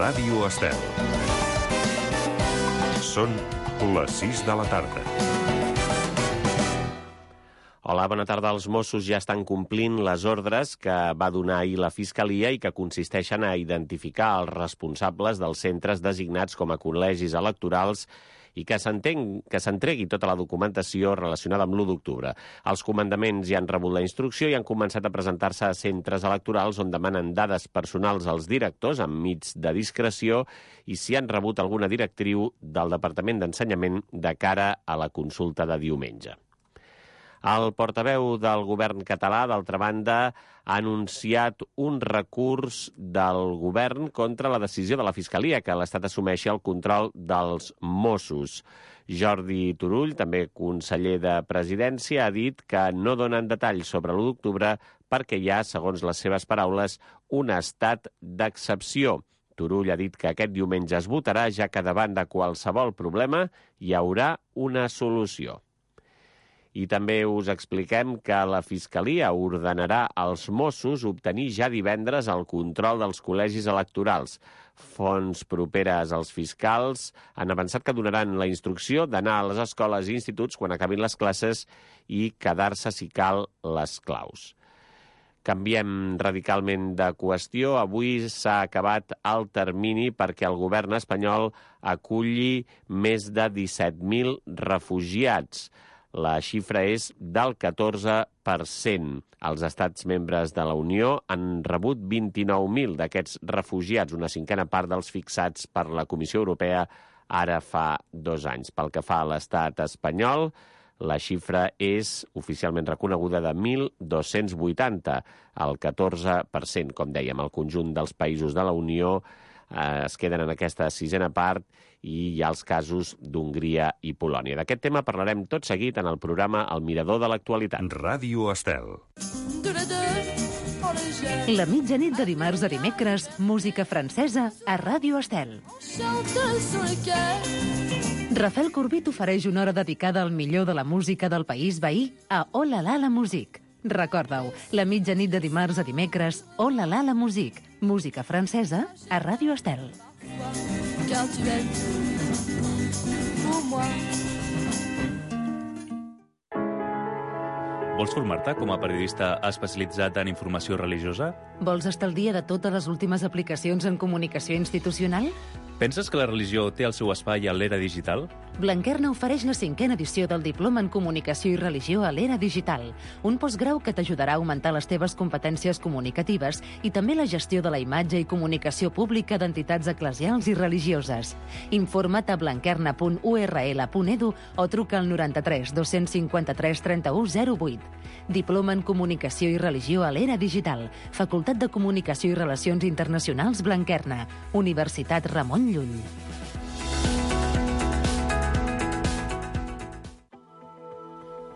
Ràdio Estel. Són les 6 de la tarda. Hola, bona tarda. Els Mossos ja estan complint les ordres que va donar ahir la Fiscalia i que consisteixen a identificar els responsables dels centres designats com a col·legis electorals i que s'entregui tota la documentació relacionada amb l'1 d'octubre. Els comandaments ja han rebut la instrucció i han començat a presentar-se a centres electorals on demanen dades personals als directors enmig de discreció i si han rebut alguna directriu del Departament d'Ensenyament de cara a la consulta de diumenge. El portaveu del govern català, d'altra banda, ha anunciat un recurs del govern contra la decisió de la Fiscalia que l'Estat assumeixi el control dels Mossos. Jordi Turull, també conseller de Presidència, ha dit que no donen detalls sobre l'1 d'octubre perquè hi ha, segons les seves paraules, un estat d'excepció. Turull ha dit que aquest diumenge es votarà, ja que davant de qualsevol problema hi haurà una solució. I també us expliquem que la Fiscalia ordenarà als Mossos obtenir ja divendres el control dels col·legis electorals. Fonts properes als fiscals han avançat que donaran la instrucció d'anar a les escoles i instituts quan acabin les classes i quedar-se, si cal, les claus. Canviem radicalment de qüestió. Avui s'ha acabat el termini perquè el govern espanyol aculli més de 17.000 refugiats. La xifra és del 14%. Els estats membres de la Unió han rebut 29.000 d'aquests refugiats, una cinquena part dels fixats per la Comissió Europea ara fa 2 anys. Pel que fa a l'estat espanyol, la xifra és oficialment reconeguda de 1.280, el 14%. Com dèiem, el conjunt dels països de la Unió es queden en aquesta sisena part i hi ha els casos d'Hongria i Polònia. D'aquest tema parlarem tot seguit en el programa El Mirador de l'Actualitat. Ràdio Estel. La mitjanit de dimarts a dimecres, música francesa a Ràdio Estel. Rafael Corbí t'ofereix una hora dedicada al millor de la música del país veí a Oh la la la musique. Recorda-ho, la mitjanit de dimarts a dimecres, Oh la la la musique, música francesa a Ràdio Estel. Vols formar-te com a periodista especialitzat en informació religiosa? Vols estar al dia de totes les últimes aplicacions en comunicació institucional? Penses que la religió té el seu espai a l'era digital? Blanquerna ofereix la 5a edició del Diploma en Comunicació i Religió a l'Era Digital, un postgrau que t'ajudarà a augmentar les teves competències comunicatives i també la gestió de la imatge i comunicació pública d'entitats eclesials i religioses. Informa't a blanquerna.url.edu o truca al 93 253 31 08. Diploma en Comunicació i Religió a l'Era Digital, Facultat de Comunicació i Relacions Internacionals Blanquerna, Universitat Ramon Llull.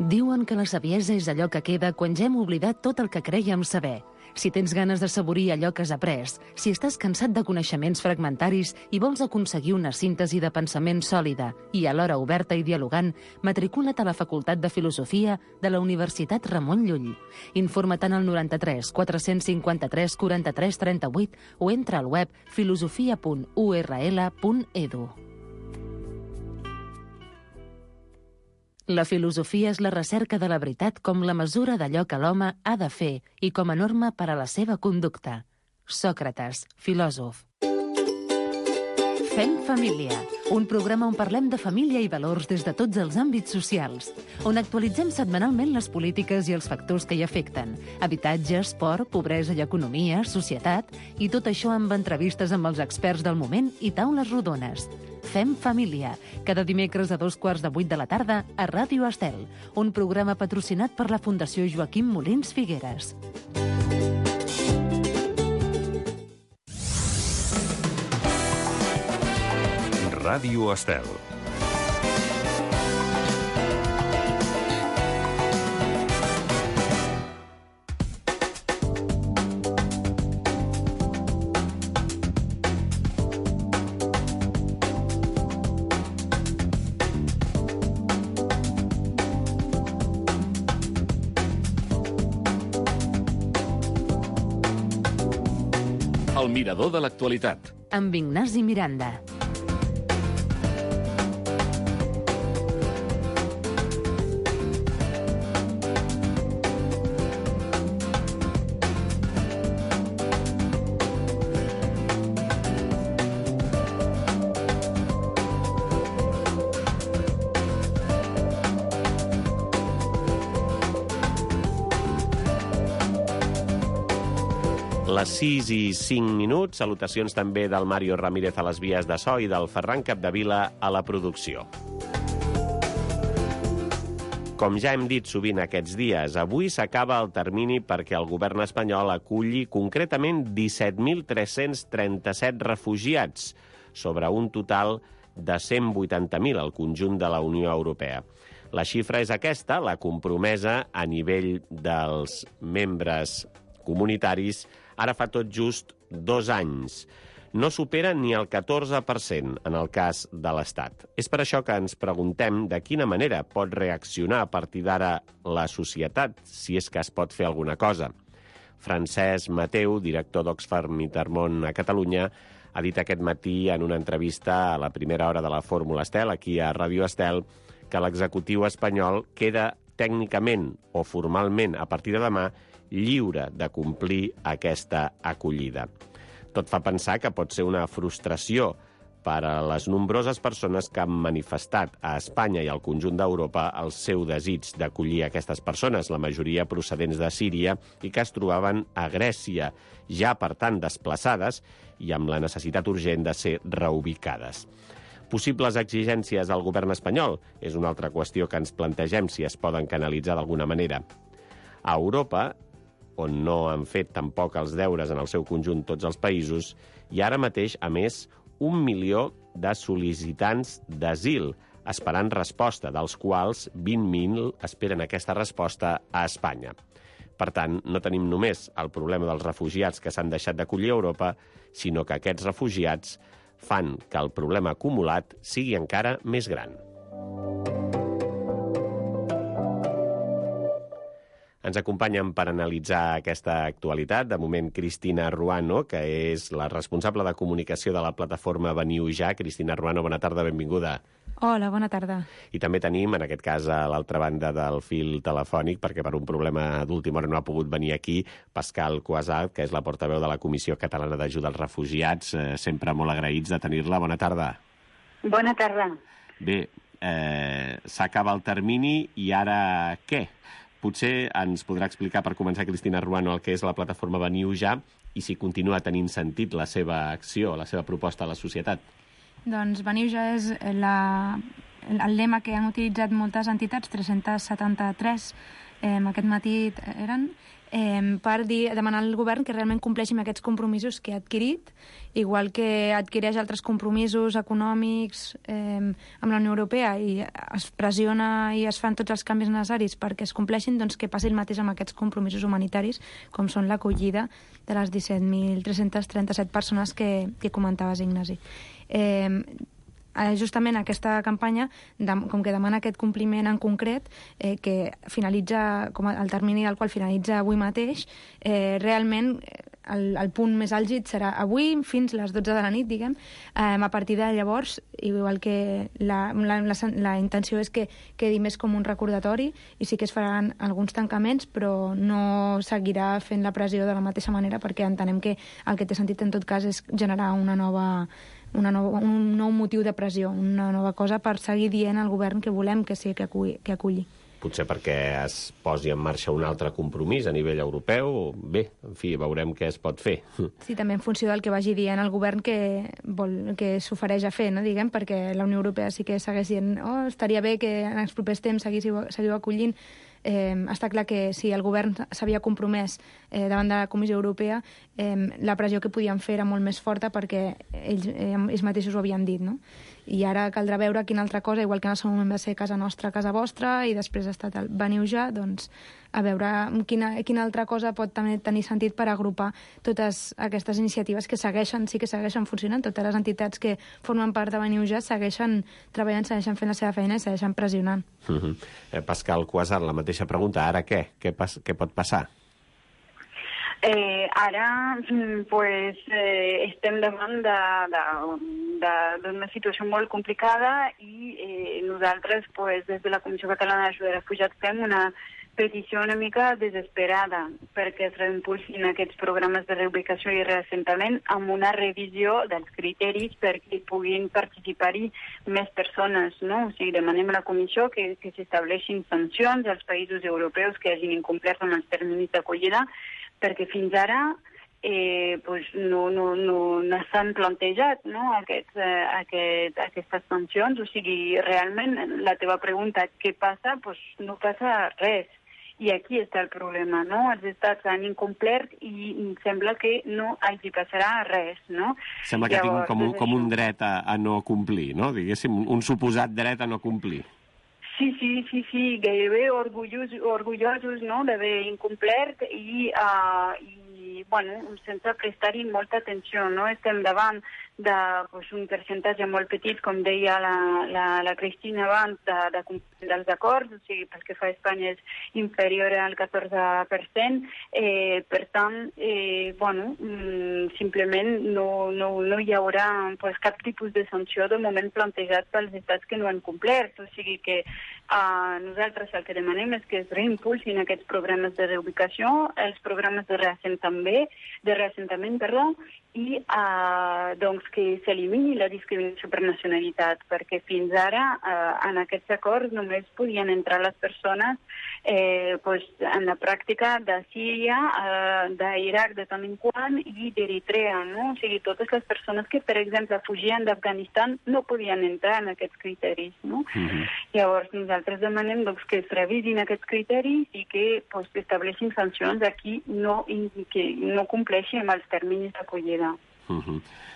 Diuen que la saviesa és allò que queda quan ja hem oblidat tot el que crèiem saber. Si tens ganes de saborir allò que has après, si estàs cansat de coneixements fragmentaris i vols aconseguir una síntesi de pensament sòlida i alhora oberta i dialogant, matricula't a la Facultat de Filosofia de la Universitat Ramon Llull. Informa't al 93 453 43 38 o entra al web filosofia.url.edu. La filosofia és la recerca de la veritat com la mesura d'allò que l'home ha de fer i com a norma per a la seva conducta. Sòcrates, filòsof. Fem família, un programa on parlem de família i valors des de tots els àmbits socials, on actualitzem setmanalment les polítiques i els factors que hi afecten, habitatge, esport, pobresa i economia, societat, i tot això amb entrevistes amb els experts del moment i taules rodones. Fem família, cada dimecres a 7:15 de la tarda a Ràdio Estel, un programa patrocinat per la Fundació Joaquim Molins Figueres. Ràdio Estel. El mirador de l'actualitat. Amb Ignasi Miranda. Les 6 i 5 minuts. Salutacions també del Mario Ramírez a les vies de so i del Ferran Capdevila a la producció. Com ja hem dit sovint aquests dies, avui s'acaba el termini perquè el govern espanyol aculli concretament 17.337 refugiats, sobre un total de 180.000 al conjunt de la Unió Europea. La xifra és aquesta, la compromesa a nivell dels membres comunitaris ara fa tot just 2 anys. No supera ni el 14% en el cas de l'Estat. És per això que ens preguntem de quina manera pot reaccionar a partir d'ara la societat, si és que es pot fer alguna cosa. Francesc Mateu, director d'Oxfam Intermón a Catalunya, ha dit aquest matí en una entrevista a la primera hora de la Fórmula Estel, aquí a Ràdio Estel, que l'executiu espanyol queda tècnicament o formalment a partir de demà lliure de complir aquesta acollida. Tot fa pensar que pot ser una frustració per a les nombroses persones que han manifestat a Espanya i al conjunt d'Europa el seu desig d'acollir aquestes persones, la majoria procedents de Síria, i que es trobaven a Grècia, ja per tant desplaçades i amb la necessitat urgent de ser reubicades. Possibles exigències al govern espanyol és una altra qüestió que ens plantegem si es poden canalitzar d'alguna manera. A Europa, on no han fet tampoc els deures en el seu conjunt tots els països, i ara mateix, a més, 1 milió de sol·licitants d'asil esperant resposta, dels quals 20.000 esperen aquesta resposta a Espanya. Per tant, no tenim només el problema dels refugiats que s'han deixat d'acollir a Europa, sinó que aquests refugiats fan que el problema acumulat sigui encara més gran. Ens acompanyen per analitzar aquesta actualitat, de moment, Cristina Ruano, que és la responsable de comunicació de la plataforma Veniu Ja. Cristina Ruano, bona tarda, benvinguda. Hola, bona tarda. I també tenim, en aquest cas, a l'altra banda del fil telefònic, perquè per un problema d'última hora no ha pogut venir aquí, Pascal Cuasart, que és la portaveu de la Comissió Catalana d'Ajuda als Refugiats, sempre molt agraïts de tenir-la. Bona tarda. Bona tarda. Bé, s'acaba el termini i ara què? Potser ens podrà explicar, per començar, Cristina Ruano, el que és la plataforma Veniu Ja i si continua tenint sentit la seva acció, la seva proposta a la societat. Doncs Veniu Ja és el lema que han utilitzat moltes entitats, 373, aquest matí eren, per demanar al govern que realment compleixi amb aquests compromisos que ha adquirit, igual que adquireix altres compromisos econòmics amb la Unió Europea i es pressiona i es fan tots els canvis necessaris perquè es compleixin, doncs que passi el mateix amb aquests compromisos humanitaris, com són l'acollida de les 17.337 persones que comentaves, Ignasi. Justament aquesta campanya, com que demana aquest compliment en concret, que finalitza, com el termini al qual finalitza avui mateix, realment el punt més àlgid serà avui fins les 12 de la nit, diguem. A partir de llavors, igual que la intenció és que quedi més com un recordatori i sí que es faran alguns tancaments, però no seguirà fent la pressió de la mateixa manera perquè entenem que el que té sentit en tot cas és generar un nou motiu de pressió, una nova cosa per seguir dient al govern que volem que sigui que aculli. Potser perquè es posi en marxa un altre compromís a nivell europeu. Bé, en fi, veurem què es pot fer. Sí, també en funció del que vagi dient el govern que s'ofereix a fer, no, diguem, perquè la Unió Europea sí que segueix dient estaria bé que en els propers temps seguiu acollint. Està clar que si el govern s'havia compromès davant de la Comissió Europea, la pressió que podien fer era molt més forta perquè ells mateixos ho havien dit, no? I ara caldrà veure quina altra cosa, igual que en el seu moment va ser casa nostra, casa vostra, i després ha estat el Veniu Ja, doncs a veure quina altra cosa pot també tenir sentit per agrupar totes aquestes iniciatives que sí que segueixen funcionant. Totes les entitats que formen part de Veniu Ja segueixen treballant, segueixen fent la seva feina i segueixen pressionant. Pascal Cuasart, la mateixa pregunta. Ara què? Què pot passar? Ara estem davant d'una situació molt complicada i nosaltres, des de la Comissió Catalana d'Ajuda de Refugiats, fem una petició una mica desesperada perquè es reimpulsin aquests programes de reubicació i reassentament amb una revisió dels criteris perquè puguin participar-hi més persones, no? O sigui, demanem a la Comissió que s'estableixin sancions als països europeus que hagin incomplert amb els terminis d'acollida, perquè fins ara no s'han plantejat, no, aquestes sancions. O sigui, realment, la teva pregunta, què passa? No passa res. I aquí està el problema, no? Els estats han incomplert i sembla que no hi passarà res, no? Sembla que tinc com un dret a no complir, no? Diguéssim, un suposat dret a no complir. Sí, gairebé orgullosos, no?, d'haver incomplert i sense prestar-hi molta atenció, no? Estem davant d'un percentatge molt petit, com deia la Cristina abans, dels acords, o sigui, pel que fa a Espanya és inferior al 14%, per tant, simplement no hi haurà cap tipus de sanció de moment plantejat pels estats que no han complert, o sigui que nosaltres el que demanem és que es reimpulsin aquests programes de reubicació, els programes de reassentament, i que s'elimini la discriminació per nacionalitat, perquè fins ara en aquests acords només podien entrar les persones en la pràctica de Síria, d'Iraq de tant en quant i d'Eritrea, no? O sigui, totes les persones que, per exemple, fugien d'Afganistan no podien entrar en aquests criteris, no? Llavors, nosaltres demanem que es revisin aquests criteris i que estableixin sancions a qui que no compleixi amb els terminis d'acollida.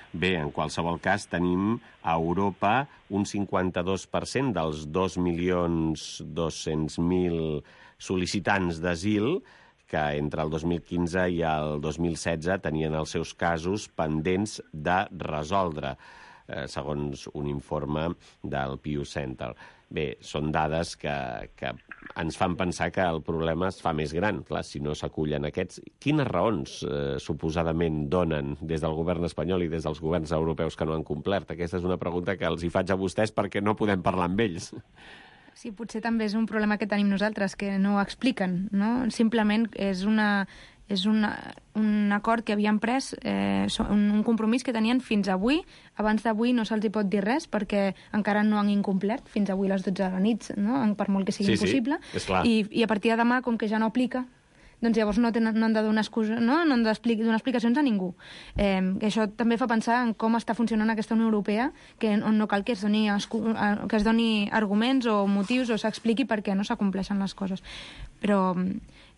Bé, en qualsevol cas, tenim a Europa un 52% dels 2.200.000 sol·licitants d'asil que entre el 2015 i el 2016 tenien els seus casos pendents de resoldre, segons un informe del Pew Center. Bé, són dades que ens fan pensar que el problema es fa més gran. Clar, si no s'acullen aquests, quines raons suposadament donen des del govern espanyol i des dels governs europeus que no han complert? Aquesta és una pregunta que els hi faig a vostès perquè no podem parlar amb ells. Sí, potser també és un problema que tenim nosaltres, que no ho expliquen, no? Simplement és un acord que havien pres, un compromís que tenien fins avui. Abans d'avui no se'ls hi pot dir res perquè encara no han incomplert fins avui a les 12 de la nit, no? Per molt que sigui impossible. I a partir de demà, com que ja no aplica, doncs llavors no han de donar excusa, no han de donar explicacions a ningú. Això també fa pensar en com està funcionant aquesta Unió Europea, on no cal que es doni arguments o motius o s'expliqui per què no s'acompleixen les coses. Però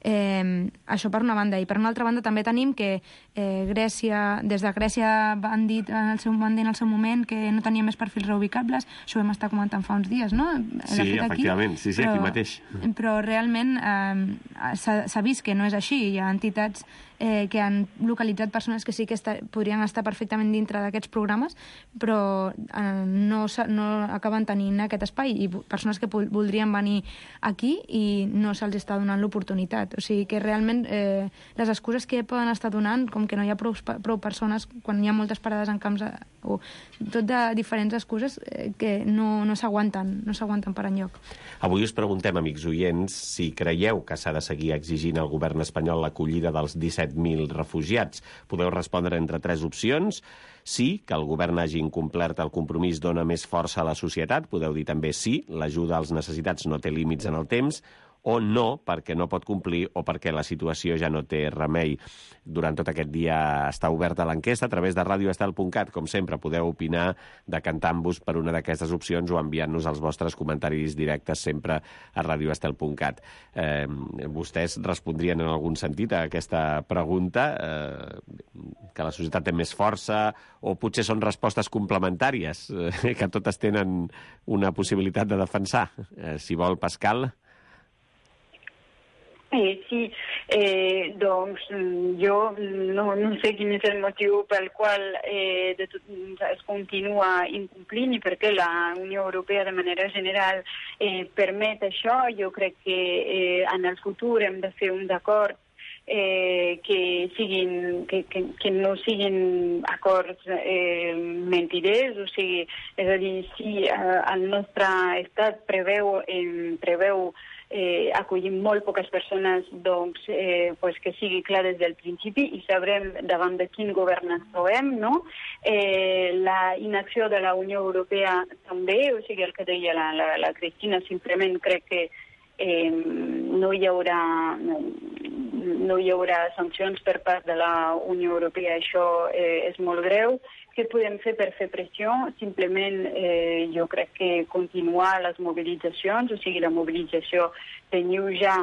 això per una banda. I per una altra banda també tenim que Grècia, des de Grècia van dir en el seu moment que no tenia més perfils reubicables. Això ho vam estar comentant fa uns dies, no? Sí, efectivament, sí, aquí mateix. Però realment s'ha vist que no és així. Hi ha entitats que han localitzat persones que sí que podrien estar perfectament dintre d'aquests programes, però no acaben tenint aquest espai, i persones que voldrien venir aquí i no se'ls està donant l'oportunitat. O sigui que realment les excuses que poden estar donant, com que no hi ha prou persones, quan hi ha moltes parades en camps, o tot de diferents excuses que no s'aguanten per enlloc. Avui us preguntem, amics oients, si creieu que s'ha de seguir exigint al govern espanyol l'acollida dels 17.000 refugiats. Podeu respondre entre 3 opcions. Sí, que el govern hagi incomplert el compromís dona més força a la societat. Podeu dir també sí, l'ajuda als necessitats no té límits en el temps. O no, perquè no pot complir o perquè la situació ja no té remei. Durant tot aquest dia està oberta l'enquesta a través de radioestel.cat. Com sempre, podeu opinar decantant-vos per una d'aquestes opcions o enviant-nos els vostres comentaris directes sempre a radioestel.cat. Vostès respondrien en algun sentit a aquesta pregunta, que la societat té més força, o potser són respostes complementàries, que totes tenen una possibilitat de defensar. Si vol, Pascal... Sí, doncs jo no sé quin és el motiu pel qual es continua incomplint i per què la Unió Europea de manera general permet això. Jo crec que en el futur hem de fer un acord que no siguin acords mentiders, o sigui, és a dir, si el nostre estat preveu acollir molt poques persones, doncs que sigui clar des del principi i sabrem davant de quin govern ens trobem, no? La inacció de la Unió Europea també, o sigui, el que deia la Cristina, simplement crec que no hi haurà sancions per part de la Unió Europea, això és molt greu. Què podem fer per fer pressió? Simplement jo crec que continuar les mobilitzacions, o sigui, la mobilització de Niuja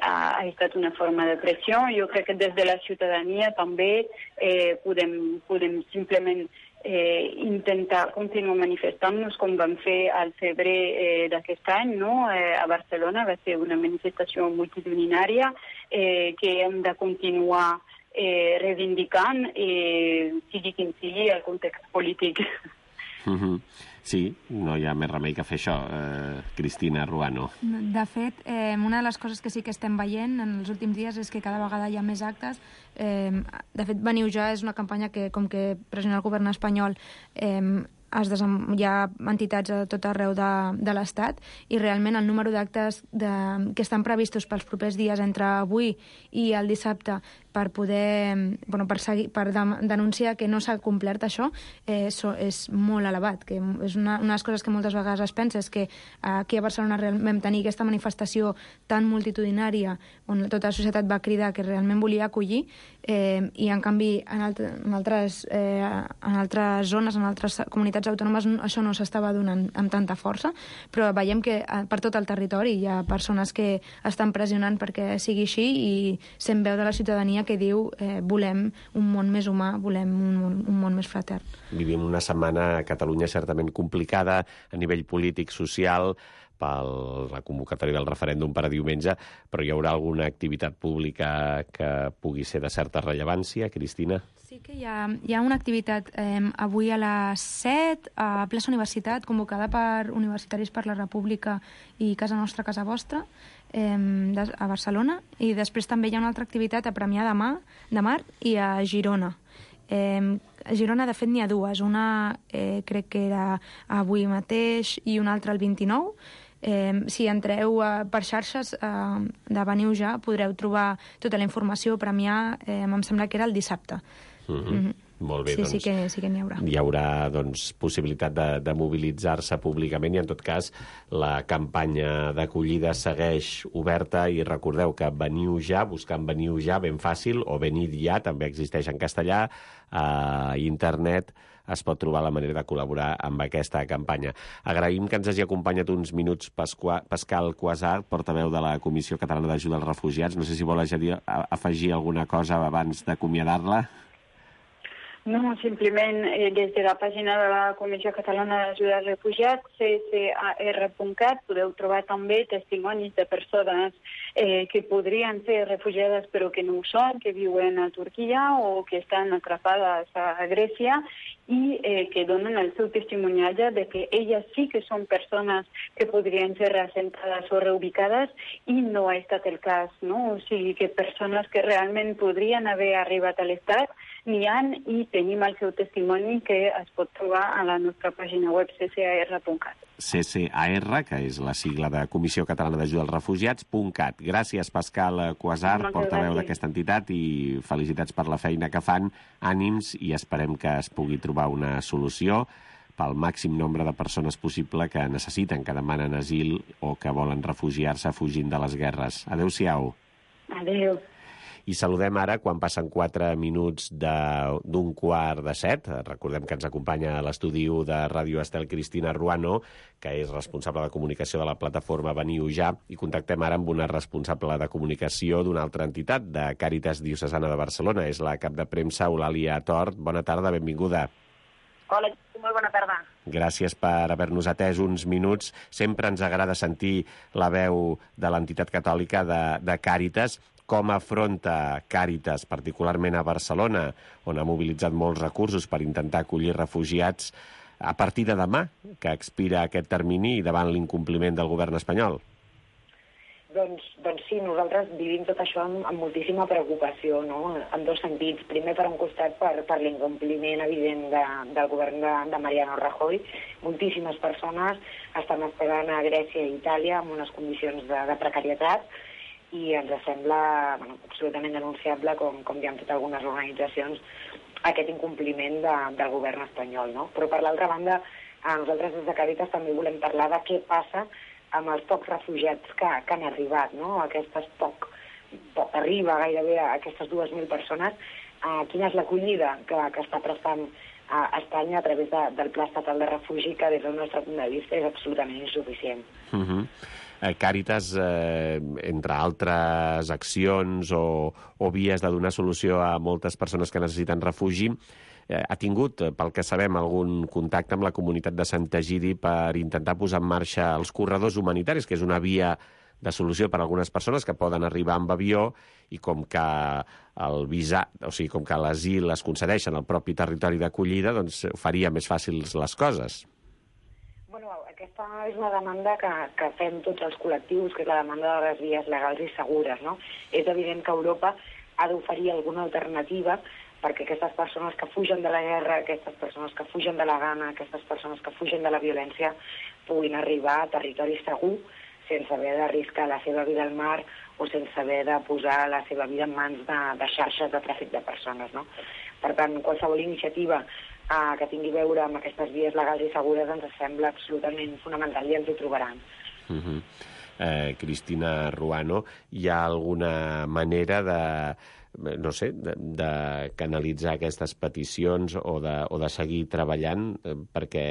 ha estat una forma de pressió. Jo crec que des de la ciutadania també podem simplement intentar continuar manifestant-nos com vam fer al febrer d'aquest any, no? A Barcelona va ser una manifestació multitudinària que hem de continuar reivindicant, sigui quin sigui el context polític. Sí, no hi ha més remei que fer això, Cristina Ruano. De fet, una de les coses que sí que estem veient en els últims dies és que cada vegada hi ha més actes. De fet, Veniu Ja és una campanya que, com que pressiona el govern espanyol, hi ha entitats a tot arreu de l'Estat i realment el número d'actes que estan previstos pels propers dies entre avui i el dissabte per poder, per denunciar que no s'ha complert això, és molt elevat. Que és una de les coses que moltes vegades es pensa és que aquí a Barcelona vam tenir aquesta manifestació tan multitudinària on tota la societat va cridar que realment volia acollir i en canvi en altres zones, en altres comunitats autònomes això no s'estava donant amb tanta força, però veiem que per tot el territori hi ha persones que estan pressionant perquè sigui així i sent veu de la ciutadania que diu volem un món més humà, volem un món més fratern. Vivim una setmana a Catalunya certament complicada a nivell polític, social, per la convocatòria del referèndum per a diumenge, però hi haurà alguna activitat pública que pugui ser de certa rellevància, Cristina? Sí que hi ha una activitat avui a les 7 a Plaça Universitat, convocada per Universitaris per la República i Casa Nostra, Casa Vostra, a Barcelona, i després també hi ha una altra activitat a Premià de Mar i a Girona. A Girona, de fet, n'hi ha dues. Una crec que era avui mateix i una altra el 29. Si entreu per xarxes de Veniu Ja podreu trobar tota la informació. Premià, em sembla que era el dissabte. Molt bé, sí, doncs sí que n'hi haurà. Hi haurà possibilitat de mobilitzar-se públicament i en tot cas la campanya d'acollida segueix oberta i recordeu que Veniu Ja, buscant Veniu Ja ben fàcil, o Venid Ja, també existeix en castellà, a internet es pot trobar la manera de col·laborar amb aquesta campanya. Agraïm que ens hagi acompanyat uns minuts Pascal Cuasart, portaveu de la Comissió Catalana d'Ajuda als Refugiats. No sé si vol afegir alguna cosa abans d'acomiadar-la. No, simplement des de la pàgina de la Comissió Catalana d'Ajuda als Refugiats, csar.cat, podeu trobar també testimonis de persones que podrien ser refugiades però que no ho són, que viuen a Turquia o que estan atrapades a Grècia i que donen el seu testimoniatge de que elles sí que són persones que podrien ser reassentades o reubicades i no ha estat el cas, no? O sigui que persones que realment podrien haver arribat a l'Estat n'hi ha i tenim el seu testimoni que es pot trobar a la nostra pàgina web csar.cat. CCAR, que és la sigla de Comissió Catalana d'Ajuda als Refugiats.cat. Gràcies, Pascal Cuasart, portaveu d'aquesta entitat, i felicitats per la feina que fan. Ànims i esperem que es pugui trobar una solució pel màxim nombre de persones possible que necessiten, que demanen asil o que volen refugiar-se fugint de les guerres. Adéu-siau. Adéu. I saludem ara, quan passen 4 minuts d'un 6:15. Recordem que ens acompanya a l'estudi de Ràdio Estel Cristina Ruano, que és responsable de comunicació de la plataforma Veniu Ja, i contactem ara amb una responsable de comunicació d'una altra entitat, de Càritas Diocesana de Barcelona. És la cap de premsa, Eulàlia Tort. Bona tarda, benvinguda. Hola, molt bona tarda. Gràcies per haver-nos atès uns minuts. Sempre ens agrada sentir la veu de l'entitat catòlica de Càritas. Com afronta Càritas, particularment a Barcelona, on ha mobilitzat molts recursos per intentar acollir refugiats, a partir de demà, que expira aquest termini, i davant l'incompliment del govern espanyol? Doncs sí, nosaltres vivim tot això amb moltíssima preocupació, no? En dos sentits. Primer, per un costat, per l'incompliment evident del govern de Mariano Rajoy. Moltíssimes persones estan esperant a Grècia i Itàlia en unes condicions de precarietat i ens sembla absolutament denunciable, com ja han fet algunes organitzacions, aquest incompliment del govern espanyol, no? Però, per l'altra banda, nosaltres des de Càritas també volem parlar de què passa amb els pocs refugiats que han arribat, no? Poc arriba gairebé a aquestes 2.000 persones. Quina és l'acollida que està prestant a Espanya a través del Pla Estatal de Refugi, que des del nostre punt de vista és absolutament insuficient. Càritas, entre altres accions o vies de donar solució a moltes persones que necessiten refugi, ha tingut, pel que sabem, algun contacte amb la comunitat de Sant Egidi per intentar posar en marxa els corredors humanitaris, que és una via de solució per a algunes persones que poden arribar amb avió i com que el visat, o sigui, com que l'asil es concedeixen al propi territori d'acollida, doncs faria més fàcils les coses. Aquesta és una demanda que fem tots els col·lectius, que és la demanda de les vies legals i segures, no? És evident que Europa ha d'oferir alguna alternativa perquè aquestes persones que fugen de la guerra, aquestes persones que fugen de la gana, aquestes persones que fugen de la violència puguin arribar a territori segur sense haver d'arriscar la seva vida al mar o sense haver de posar la seva vida en mans de xarxes de tràfic de persones, no? Per tant, qualsevol iniciativa que tingui a veure amb aquestes vies legals i segures ens sembla absolutament fonamental i ens ho trobaran. Cristina Ruano, hi ha alguna manera de canalitzar aquestes peticions o de seguir treballant, perquè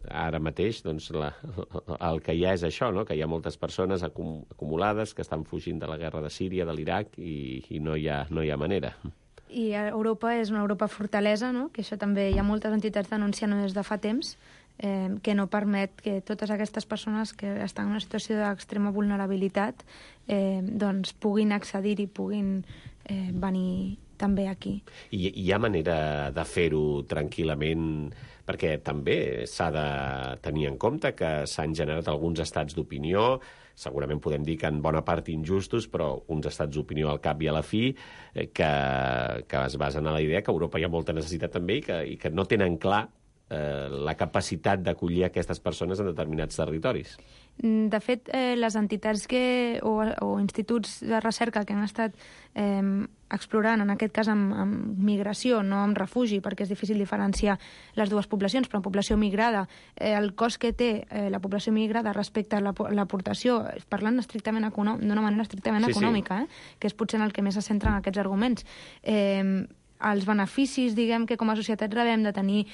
ara mateix doncs, el que hi ha és això, no? Que hi ha moltes persones acumulades que estan fugint de la guerra de Síria, de l'Iraq, i no hi ha manera. I Europa és una Europa fortalesa, no? Que això també hi ha moltes entitats denunciant des de fa temps, que no permet que totes aquestes persones que estan en una situació d'extrema vulnerabilitat doncs puguin accedir i puguin venir també aquí. I hi ha manera de fer-ho tranquil·lament, perquè també s'ha de tenir en compte que s'han generat alguns estats d'opinió, segurament podem dir que en bona part injustos, però uns estats d'opinió al cap i a la fi que es basen en la idea que a Europa hi ha molta necessitat també i que no tenen clar la capacitat d'acollir aquestes persones en determinats territoris. De fet, les entitats o instituts de recerca que han estat explorant, en aquest cas amb migració, no amb refugi, perquè és difícil diferenciar les dues poblacions, però en població migrada, el cost que té la població migrada respecte a l'aportació, parlant estrictament d'una manera estrictament econòmica, que és potser en el que més se centren aquests arguments, els beneficis, diguem, que com a societat rebem de tenir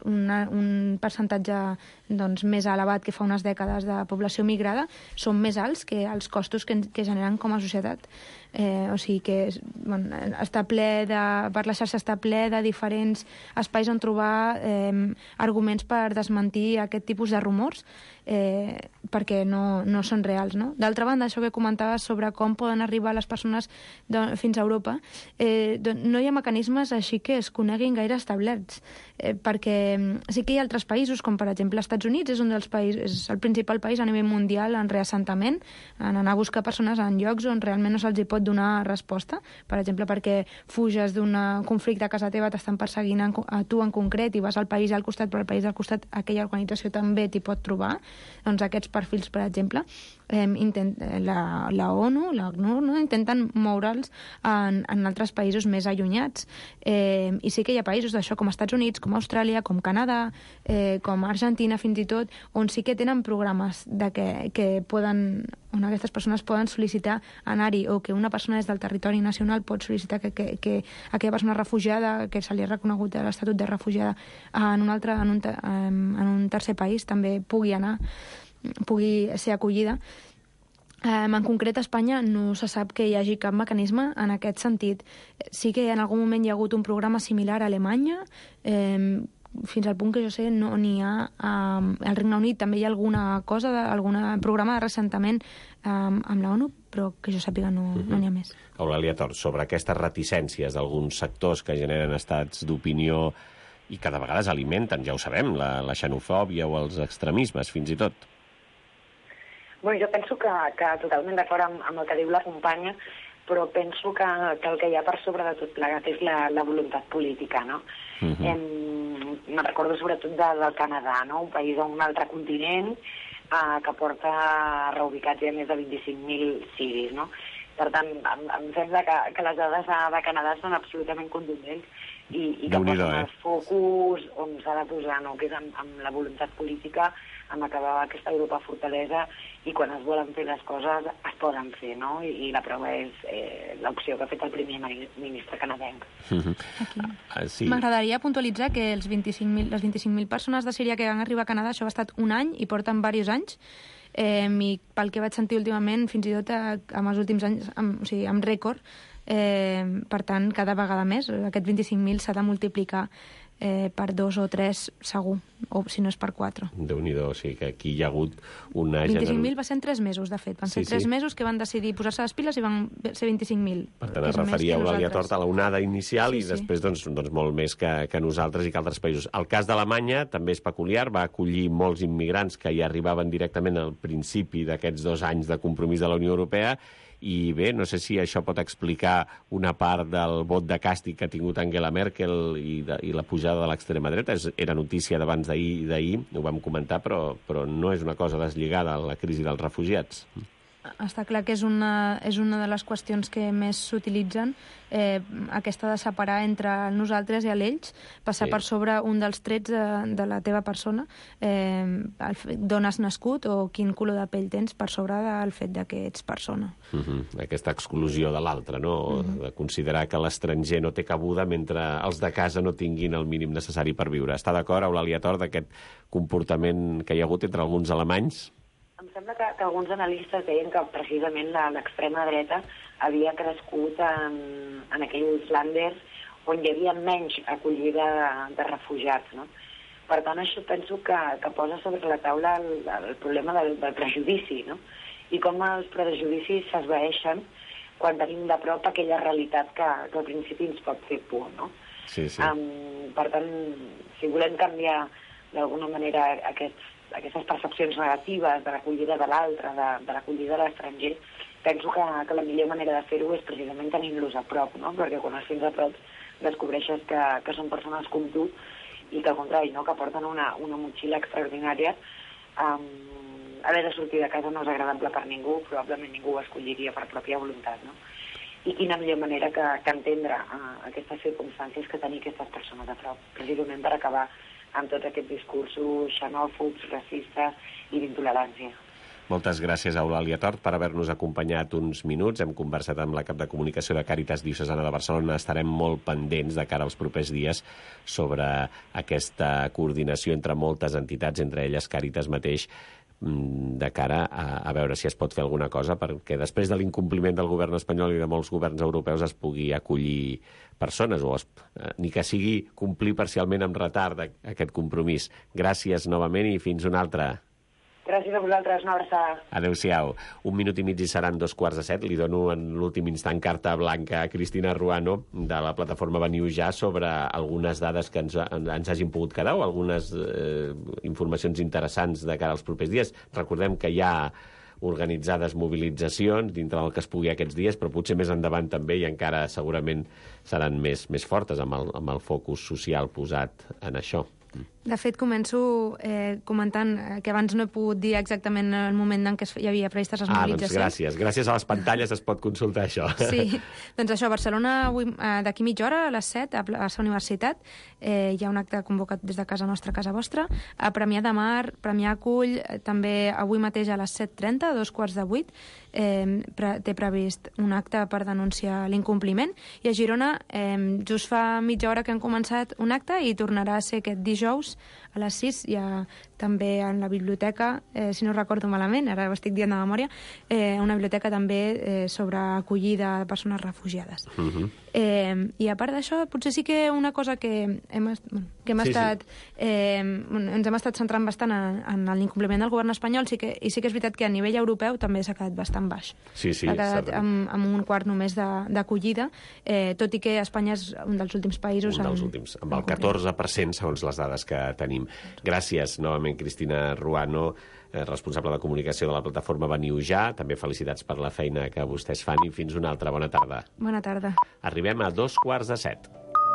un percentatge doncs, més elevat que fa unes dècades de població migrada són més alts que els costos que generen com a societat. O sigui que està ple per la xarxa està ple de diferents espais on trobar arguments per desmentir aquest tipus de rumors perquè no són reals, no? D'altra banda, això que comentaves sobre com poden arribar les persones fins a Europa, no hi ha mecanismes així que es coneguin gaire establerts, perquè sí que hi ha altres països, com per exemple Estats Units, és un dels països, és el principal país a nivell mundial en reassentament, en anar a buscar persones en llocs on realment no se'ls hi pot donar resposta, per exemple, perquè fuges d'un conflicte a casa teva, t'estan perseguint a tu en concret i vas al país al costat, però al país al costat aquella organització també t'hi pot trobar. Doncs aquests perfils, per exemple, la ONU, l'ACNUR, no? Intenten moure'ls en altres països més allunyats. I sí que hi ha països d'això com Estats Units, com Austràlia, com Canadà, com Argentina fins i tot, on sí que tenen programes on aquestes persones poden sol·licitar anar-hi, o que una persona des del territori nacional pot sol·licitar que aquella persona refugiada, que se li ha reconegut l'estatut de refugiada en un tercer país, també pugui ser acollida. En concret, a Espanya no se sap que hi hagi cap mecanisme en aquest sentit. Sí que en algun moment hi ha hagut un programa similar a Alemanya, fins al punt que jo sé no n'hi ha al Regne Unit. També hi ha alguna cosa, algun programa de reassentament amb la ONU, però que jo sàpiga no n'hi ha més. Eulàlia Tort, sobre aquestes reticències d'alguns sectors que generen estats d'opinió i que de vegades alimenten, ja ho sabem, la xenofòbia o els extremismes, fins i tot. Bueno, jo penso que totalment d'acord amb el que diu la companya, però penso que el que hi ha per sobre de tot plegat és la voluntat política, no? Me'n recordo sobretot del Canadà, no? Un país d'un altre continent que porta reubicats ja més de 25.000 siris, no? Per tant, em sembla que les dades de Canadà són absolutament contundents i que posen el focus on s'ha de posar, no? Que és amb la voluntat política, amb acabar aquesta Europa fortalesa, i quan es volen fer les coses es poden fer, no? I la prova és l'opció que ha fet el primer ministre canadenc. Sí. M'agradaria puntualitzar que les 25.000 persones de Síria que van arribar a Canadà, això ha estat un any i porten diversos anys, i pel que vaig sentir últimament, fins i tot en els últims anys, amb rècord, per tant, cada vegada més. Aquest 25.000 s'ha de multiplicar per 2 o 3 segur, o si no és per 4. Déu-n'hi-do, o sigui que aquí hi ha hagut una... 25.000 va ser en 3 mesos, de fet. Van ser 3 mesos que van decidir posar-se les piles i van ser 25.000. Per tant, es referia a Eulàlia Tort a la onada inicial i després doncs, molt més que nosaltres i que altres països. El cas d'Alemanya també és peculiar, va acollir molts immigrants que hi arribaven directament al principi d'aquests 2 anys de compromís de la Unió Europea. I bé, no sé si això pot explicar una part del vot de càstig que ha tingut Angela Merkel i la pujada de l'extrema dreta. Era notícia d'abans d'ahir, ho vam comentar, però no és una cosa deslligada a la crisi dels refugiats. Està clar que és una de les qüestions que més s'utilitzen, aquesta de separar entre nosaltres i ells, passar per sobre un dels trets de la teva persona, d'on has nascut o quin color de pell tens, per sobre del fet que ets persona. Aquesta exclusió de l'altre, no? De considerar que l'estranger no té cabuda mentre els de casa no tinguin el mínim necessari per viure. Està d'acord, Eulàlia Tort, d'aquest comportament que hi ha hagut entre alguns alemanys? Em sembla que alguns analistes deien que precisament l'extrema dreta havia crescut en aquells lànders on hi havia menys acollida de refugiats, no? Per tant, això penso que posa sobre la taula el problema del prejudici, no? I com els prejudicis s'esvaeixen quan tenim de prop aquella realitat que al principi ens pot fer por, no? Sí. Per tant, si volem canviar d'alguna manera aquestes percepcions negatives de l'acollida de l'altre, de l'acollida de l'estranger, penso que la millor manera de fer-ho és precisament tenint-los a prop, no? Perquè quan els tens a prop descobreixes que són persones com tu i que al contrari, no? Que porten una motxilla extraordinària. Haver de sortir de casa no és agradable per ningú, probablement ningú ho escolliria per pròpia voluntat, no? I quina millor manera que entendre aquestes circumstàncies que tenir aquestes persones a prop, precisament per acabar amb tots aquests discursos xenòfobs, racistes i d'intolerància. Moltes gràcies a Eulàlia Tort per haver-nos acompanyat uns minuts. Hem conversat amb la cap de comunicació de Càritas Diocesana de Barcelona. Estarem molt pendents de cara als propers dies sobre aquesta coordinació entre moltes entitats, entre elles Càritas mateix, de cara a veure si es pot fer alguna cosa perquè després de l'incompliment del govern espanyol i de molts governs europeus es pugui acollir persones, ni que sigui complir parcialment amb retard aquest compromís. Gràcies novament i fins una altra. Gràcies a vosaltres, una abraçada. Adéu-siau. 1 minut i mig i seran 2:45. Li dono en l'últim instant carta blanca a Cristina Ruano de la plataforma Veniu Ja sobre algunes dades que ens hagin pogut quedar o algunes informacions interessants de cara als propers dies. Recordem que hi ha organitzades mobilitzacions dintre del que es pugui aquests dies, però potser més endavant també i encara segurament seran més fortes amb el focus social posat en això. De fet, començo comentant que abans no he pogut dir exactament el moment en què hi havia previstes les mobilitzacions. Doncs gràcies. Gràcies a les pantalles es pot consultar això. Sí, doncs això, a Barcelona d'aquí mitja hora, a les 7, a la Universitat, hi ha un acte convocat des de casa nostra, casa vostra, a Premià de Mar, Premià acull, també avui mateix a les 7:30, a 7:45, té previst un acte per denunciar l'incompliment, i a Girona just fa mitja hora que han començat un acte i tornarà a ser aquest dijous a les 6, hi ha també en la biblioteca, si no recordo malament, ara ho estic dient de memòria, una biblioteca també sobre acollida de persones refugiades. I a part d'això, potser sí que una cosa que ens hem estat centrant bastant en l'incompliment del govern espanyol, i sí que és veritat que a nivell europeu també s'ha quedat bastant baix. Sí, s'ha quedat amb un quart només d'acollida, tot i que Espanya és un dels últims països... Un dels últims, amb el 14%, segons les dades que tenim. Gràcies novament, igualment Cristina Ruano, responsable de comunicació de la plataforma Veniu Ja. També felicitats per la feina que vostès fan i fins una altra. Bona tarda. Bona tarda. Arribem a 2:15.